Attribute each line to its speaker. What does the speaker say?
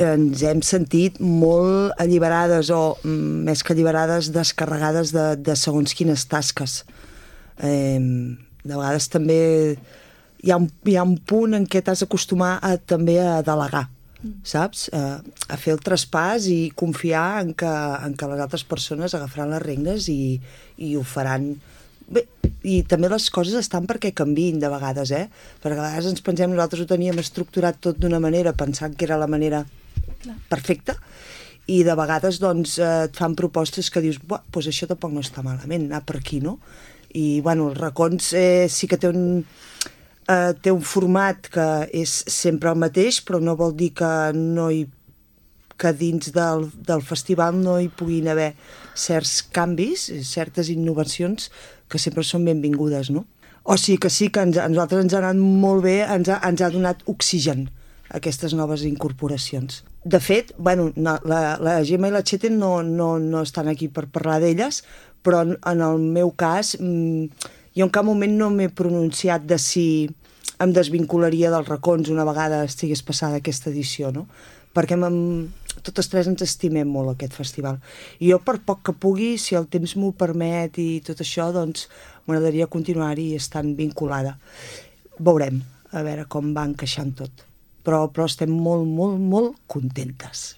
Speaker 1: ens hem sentit molt alliberades o, més que alliberades, descarregades de segons quines tasques. De vegades també hi ha un punt en què t'has d'acostumar també a delegar, saps? A fer el traspàs i confiar en que les altres persones agafaran les regnes i ho faran bé. I també les coses estan perquè canviïn de vegades, perquè a vegades ens pensem, nosaltres ho teníem estructurat tot d'una manera pensant que era la manera perfecta, i de vegades doncs et fan propostes que dius, doncs això tampoc no està malament, anar per aquí, no? I bueno, els racons sí que té un format que és sempre el mateix, però no vol dir que dins del festival no hi puguin haver certs canvis, certes innovacions que sempre són benvingudes, no? O sigui que a nosaltres ens ha anat molt bé, ens ha donat oxigen aquestes noves incorporacions. De fet, bueno, la Gemma i la Chete no estan aquí per parlar d'elles, però en el meu cas jo en cap moment no m'he pronunciat de si em desvincularia dels racons una vegada estigués passada aquesta edició, no? Perquè totes tres ens estimem molt aquest festival. I jo, per poc que pugui, si el temps m'ho permet i tot això, doncs m'agradaria continuar-hi estant vinculada. Veurem, a veure com va encaixant tot. Però estem molt, molt, molt contentes.